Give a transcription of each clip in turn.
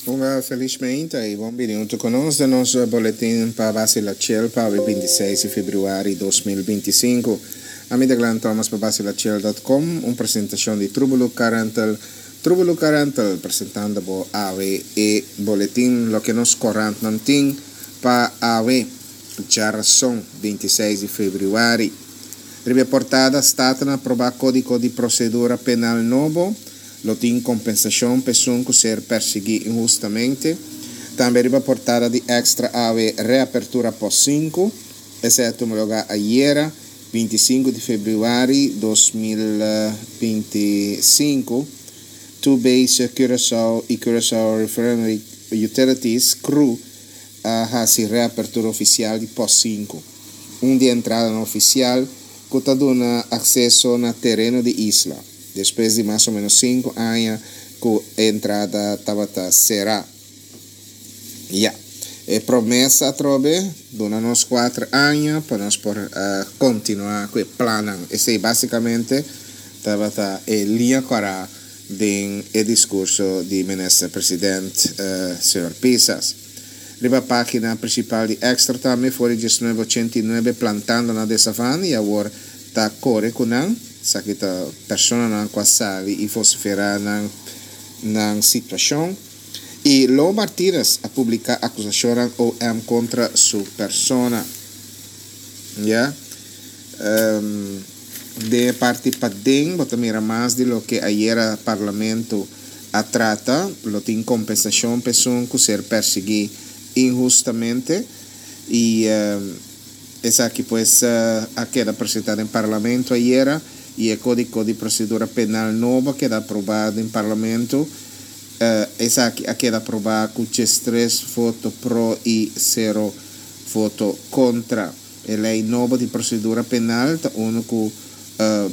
Un felizmente y bon bini hunto cu nos den nos boletin pa Basila Chill pa awe 26 di februari 2025. Ami ta Glenn Thomas pa basilachill.com, un presentacion di Trubelu Car Rental. Trubelu Car Rental presentando bo awe e boletin loke nos corantnan tin pa awe djarason 26 di februari. Riba e portada Staten a aproba Codigo di Procedura Penal nobo. Lo tin kompensashon pa esun ku ser persiguí inhustamente. Tambe riba portada di Extra awe reapertura pos sinku. Esei a tuma lugá ayera, 25 di febrüari 2025. Two Base Curaçao i Curaçao Refinery Utilities, cru, a hasi reapertura ofisial di pos sinku. Un di e entradanan ofisial ku ta duna akseso na tereno di isla. Despues di mas o menos sinku aña ku e entrada tabata será. Ya. E promesa atrobe duna nos kuater aña pa nos por kontinuá ku e plannan. Esei básikamente tabata e liña kòrá den e diskurso di Minister President señor Pisas. Riba página prinsipal di Extra tambe for di diesnuebe ochenta i nuebe plantando na Desavan i awor ta kore ku nan. Esaki ta personanan ku a sali i vosiferá nan nan situashon. I Lo Martinez a publiká akusashonnan OM kontra su persona. Ya. Den e parti paden bo ta mira mas di loke ayera Parlamento a trata. Lo tin kompensashon pa esun ku ser persiguí inhustamente. I. Esaki pues a keda presenta den Parlamento ayera y e Codico di Procedura Penal nobo a keda aproba den Parlamento. Esaki a keda aproba cu 13 voto pro y sero voto contra. E ley nobo di procedura penal ta uno cu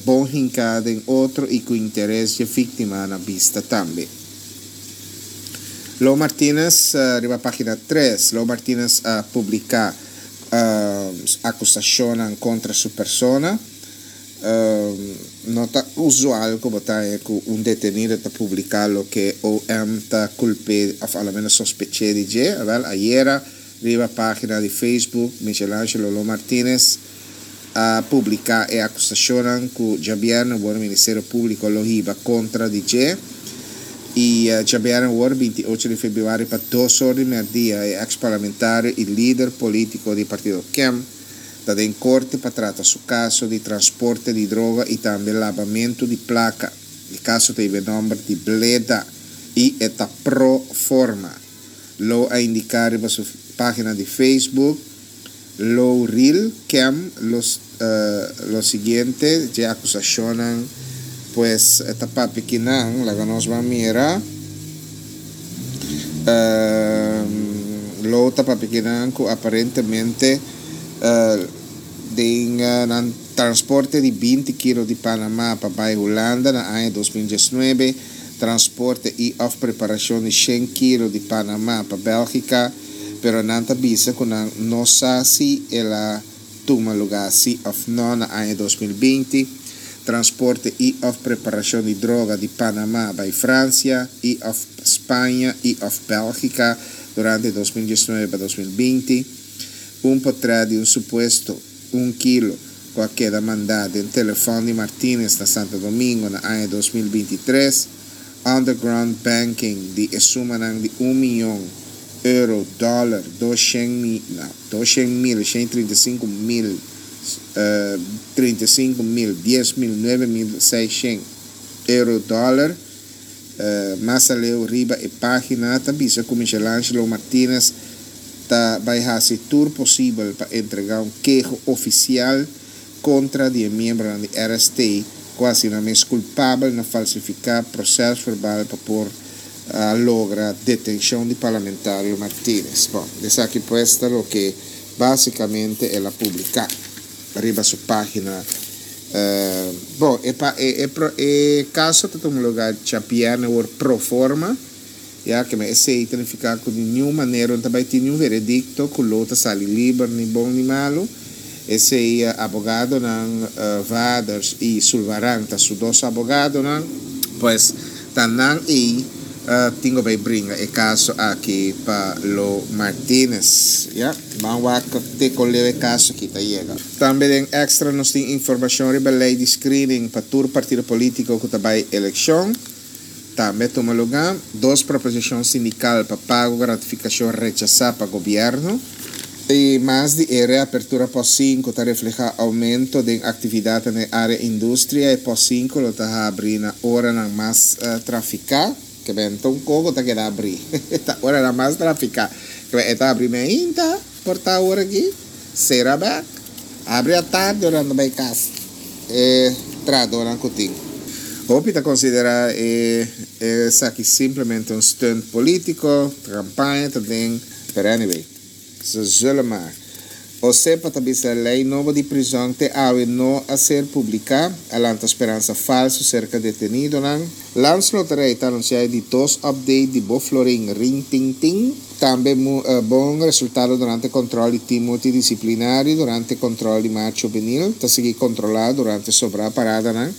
bon hinca den otro y cu interes dje victima na bista tambe. Lo Martinez riba pagina tres Lo Martinez a publica akusashonnan kontra su persona. No ta usual ku bo ta haña ku un detenido ta publiká loke OM ta kulp'é òf alomenos sospech'é di dje. Awèl, ayera riba página di Facebook Michelangelo Lo Martinez a publiká e akusashonnan ku djabièrnè awor Ministerio Públiko lo hiba kontra di dje. I djabièrnè awor, 28 di febrüari pa dos or di mèrdia, e eks parlamentario i lider polítiko di partido kem ta den korte pa trata su kaso di transporte di droga i tambe labamentu di plaka. E kaso ta hiba e nòmber di Bleda i e ta pro forma. Lo a indiká riba su página di Facebook. Lo ril kem los lo siguiente dje akusashonnan pues ta papia kinan laga nos ban mira lo ta papia kinan ku aparentemente den nan transporte di binti kilo di Panama pa bai Hulanda na aña 2019 transporte i òf preparashon di shen kilo di Panama pa Bèlgika. Pero nan ta bisa ku nan no sa si el a tuma lugá si òf no na aña 2020. Transporte i òf preparashon di droga di Panama bai Fransia i òf Spaña i òf Bèlgika durante 2019 pa 2020. Un potrèt di un supuesto un kilo ku a keda mandá den telefòn di Martinez na Santo Domingo na aña 2023. Underground banking di e sumanan di un miyon euro, dòler, doshen mi, no, doshen mil, shen trinta i sinku mil, 35 mil, 10 mil, 9600 euro, dòler. Mas aleu riba e página ta bisa ku Michelangelo Martinez ta bai hasi tur posibel pa entregá un keho ofisial kontra di e miembronan di RST ku a hasi nan mes kulpabel na falsifiká prosèsverbal pa por a logra detenshon di parlamentario Martinez. Bon, esaki pues ta loke básikamente el a publiká riba su página. Bon, e pa e e kaso ta tuma lugá djabièrnè awor pro forma. Ya ke men esei ta nifiká ku di niun manera no ta bai tin niun veredikto ku lo ta sali liber ni bon ni malu. Esei abogadonan Vaders i Sulvaran ta su dos abogadonan. Pues ta nan ei Tin ku bai bringa e kaso aki pa Lo Martinez. Ya, ban wak te kon leu e kaso aki ta yega. Tambe den Extra nos tin informashon riba lei di screening pa tur partido politiko ku ta bai elekshon. Tambe a tuma lugá dos proposishon sindikal pa pago gratifikashon rechasá pa gobièrnu. I mas di e reapertura pos sinku ta reflehá oumento den aktividatnan den área industria. E pos sinku lo ta habri na oranan mas trafiká. Ke men ta un koko ta keda habrí. Ta oranan mas trafiká. Ke men e ta habri meinta por ta ora aki, sera bèk, habri atardi ora nan ta bai kas. E trahadónan ku tin. Hopi ta konsiderá e esaki simplemente un stunt polítiko, kampaña ta den. Pero anyway. Ze zullen maar. Osepa ta bisa ley nobo di prizon te awe no a ser publica, a lanta speransa falso cerca detenidonan. Landsloterij ta anuncia e di dos update di bo florin ring ting ting. Tambe bon resultado durante control di team multidisciplinario durante control di maart juvenil ta sigui controla durante sobra paradanan.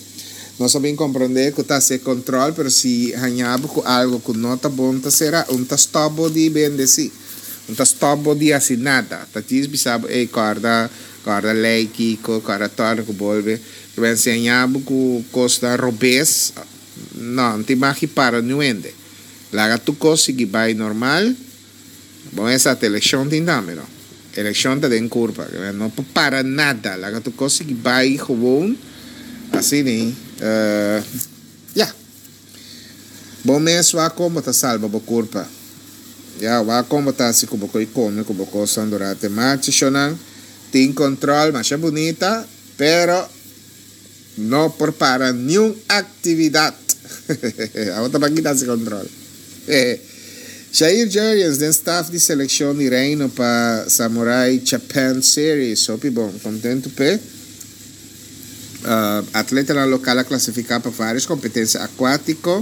Nos a bin comprende cu ta haci control pero si haña bo cu algo cu no ta bon ta cera un ta stop bo di bende si. No ta stòp bo di hasi nada. Ta djis bisa bo, ey, kòrda, kòrda lei kiko, kòrda tòrna ku bolbe. Te bai enseñá bo ku kosnan robes. No, no tin mag di para niun hende. Laga tur kos sigui bai normal. Bon, esa ta elekshon tin tambe, no. Elekshon ta den kurpa. No por para nada. Laga tur kos sigui bai gewoon. Asina, ya. Bo mes wak kon bo ta salba bo kurpa. Ya, wak kon bo ta hasi ku bo koi kome ku bo kosnan durante marcha. Shonnan tin kontrol masha bunita, pero no por para niun aktividat. Abo ta baki ta hasi kontrol. Jair Jurrjens den staf di selekshon di Reino pa Samurai Japan Series. Hopi bon, kontentu p'e. Atletanan lokal a klasifiká pa vários kompetensia akuátiko.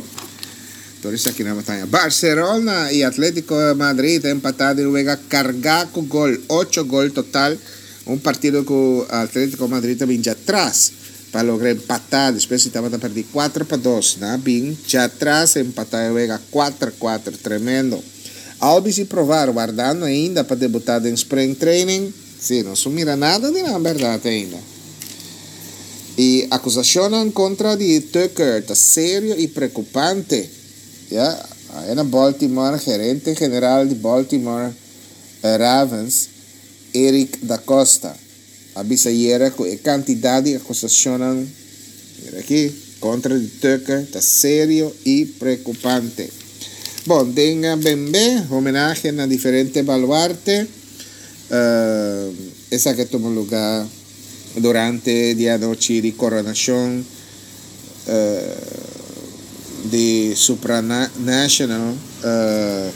Tur esaki nan bataya. Barcelona i Atlético de Madrid a empatá den un wega kargá ku gol, ocho gol total. Un partido ku Atlético Madrid a bin djatras pa logra empatá despues di tabata pèrdí 4-2. Nan a bin djatras empatá e wega 4-4. Tremendo. Albies i Provar wardando ainda pa debutá den spring training. Sí, nos no mira nada di nan bèrdat ainda. E akusashonnan kontra di Tucker ta serio i preokupante. Ya, aya na Baltimore, gerente general di Baltimore Ravens, Eric DaCosta, a bisa ayera ku e kantidat di akusashonnan, mira aki, kontra di Tucker ta serio i preokupante. Bon, den bembe, homenahe na diferente baluarte. Esaki a tuma lugá durante di anochi di koronashon di Supranational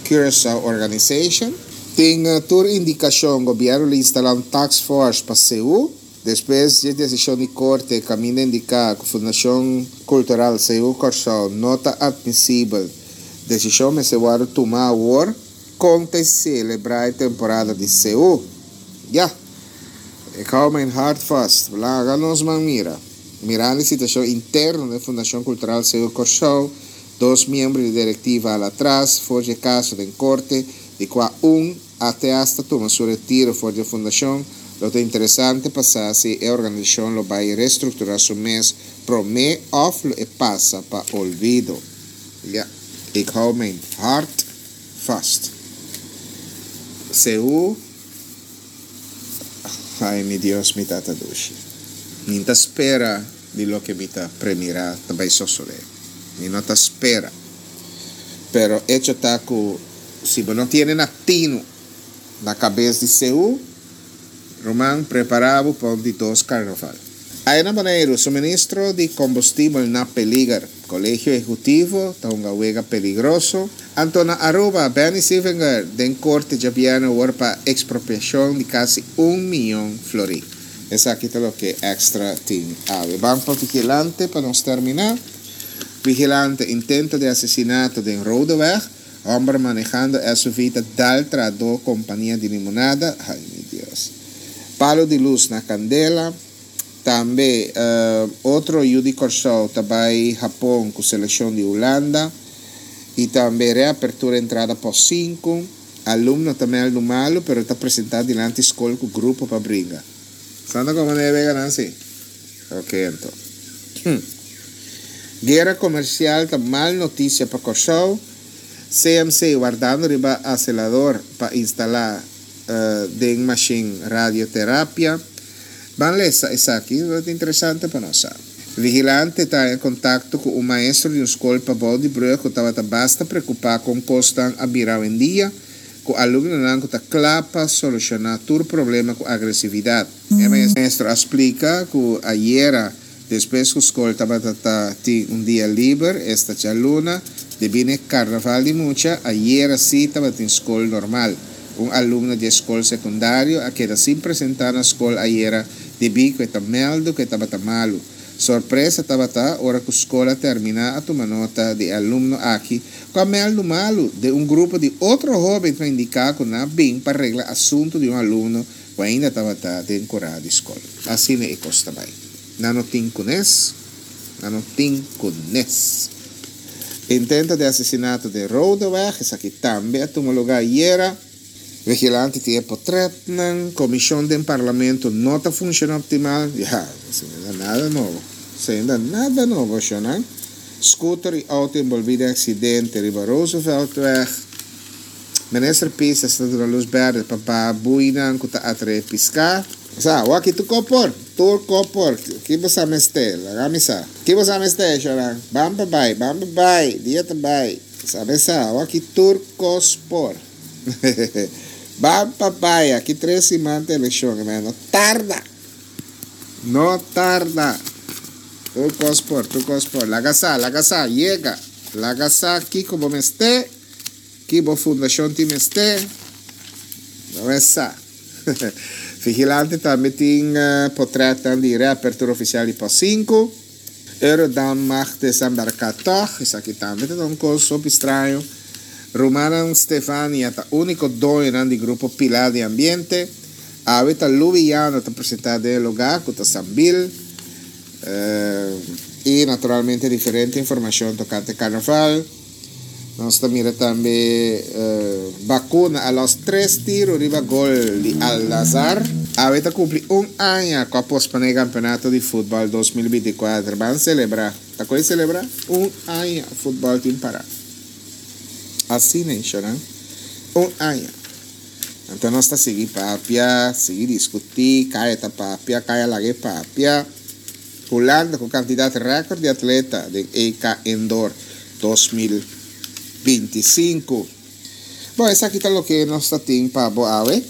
Curaçao Organization. Tin tur indikashon gobièrnu lo instalá un task force pa Seú. Despues dje desishon di korte kaminda indiká ku Fundashon Kultural Seú Kòrsou no ta atmisibel, desishon mester wòrdu tumá awor. Kon ta selebrá e temporada di Seú? Ya! Ik hou mijn hart vast. Laga nos man mira. Mirando e situashon interno den Fundashon Kultural Seú Kòrsou, dos miembro di direktiva al atras for dje kaso den korte, di kua un a te asta tuma su retiro for dje fundashon, lo ta interesante pa sa si e organisashon lo bai restrukturá su mes promé òf lo e pasa pa olvido. Ya! Ik hou mijn hart vast. Seú, Ai mi Dios, mi Tata dushi. Mi n'ta spera di loke mi ta premirá ta bai sosodé. Mi no ta spera. Pero echo ta ku si bo no tiene na tinu na kabes di Seú, Ruman, prepará bo pa un di dos karnaval. Aya na Boneiru, suministro di kombustibel na peliger. Kolegio Ehekutivo ta hunga wega peligroso. Anto na Aruba, Benny Sievinger den korte djabièrnè awor pa ekspropiashon di kasi un miyon florin. Esaki ta loke Extra tin awe. Ban pa Vigilante pa nos terminá. Vigilante, intento di asesinato den Rodeweg. Homber manehando SUV ta dal trahadó kompania di limonada. Ay mi Dios. Palo di lus na kandela. Tambe otro yu di Kòrsou ta bai Hapon ku selekshon di Hulanda. I tambe reapertura entrada pos sinku. Alumno ta mèldu malu pero ta presentá dilanti skol ku grupo pa bringa. Santa komo na e weganan si? Ok anto. Guera komersial ta mal notisia pa Kòrsou. CMC wardando riba aselador pa instalá den mashin radioterapia. Ban lesa esaki, ta interesante pa nos sa. Vigilante ta haña kontakto ku un maestro di un skol pabou di brug ku tabata basta preokupá kon kosnan a bira awendia, ku alumnonan ku ta kla pa solushoná tur problema ku agresividat. E maestro a splika ku ayera, despues ku skol tabata ta tin un dia liber, esta djaluna, debí n'e karnaval di mucha, ayera sí tabatin skol normal. Un alumno di e skol sekundario a keda sin presentá na skol ayera debí ku e ta mèldu ku e tabata malu. Sorpresa tabata ora ku skol a terminá a tuma nota di e alumno aki ku a mèldu malu den un grupo di otro hóben ku a indiká ku nan a bin pa regla asuntu di un alumno ku ainda tabata den kurá di skol. Asina e kos ta bai. Nan no tin kunes. Nan no tin kunes. Intento di asesinato den Rodeweg, esaki tambe a tuma lugá ayera. Vigilante tin e potretnan. Komishon den parlamento no ta funshoná optimal. Ya, esei no ta nada nobo. Esei no ta nada nobo, shonnan. Scooter i auto enbolbí den aksidente riba Rooseveltweg. Minister Pisas ta duna lus berde pa baha buinan ku ta atraé piská. Sa, wak tur ko por, tur ko por. Ki bo sa mester? Laga mi sa. Ki bo sa mester, Shoran? Ban pa bai, ban pa bai, dia ta bai. Sa mi sa, wak tur kos por. Ban pa bai, aki tres siman ta elekshon, no tarda. No tarda. Tur kos por, tur kos por. Laga sa, laga sa, yega. Laga sa kiko bo mester. Ki bo fundashon tin mester? No e sa. Vigilante tambe tin potretnan di reapertura ofisial di pos sinku. Eurodam mag desembarká tòg. Esaki tambe ta un kos hopi straño. Rumannan Stefania ta úniko doñonan di grupo Pilar di Ambiente. Awe ta Louis Llano ta presentá den e lugá ku ta Sambil. I naturalmente diferente informashon tokante karnaval. Nos ta mira tambe Bakuna a los tres tiro riba gol di Al Nazar. Awe ta cumpli un aña cu a pospone e campeonato di futbol 2024. Ban celebra. Ta cu e celebra? Un aña futbol tin para. Asina e shonan. Un aña. Anto nos ta sigui papia, sigui discuti, caya ta papia, caya laga e papia. Hulanda ku kantidat rèkòrt di atleta den EK Indoor 2025. Bon, esaki ta loke nos ta tin pa bo awe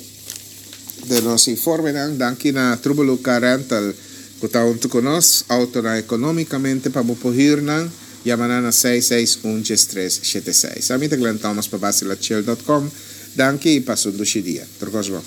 den nos informenan. Danki na Trubelu Car Rental ku ta huntu ku nos. Autonan ekonómikamente pa bo por hür nan. Yama nan na seis seis un djes tres shete seis. Ami ta Glenn Thomas pa Basilachil dot com. Danki i pasa un dushi dia. Tur kos bon.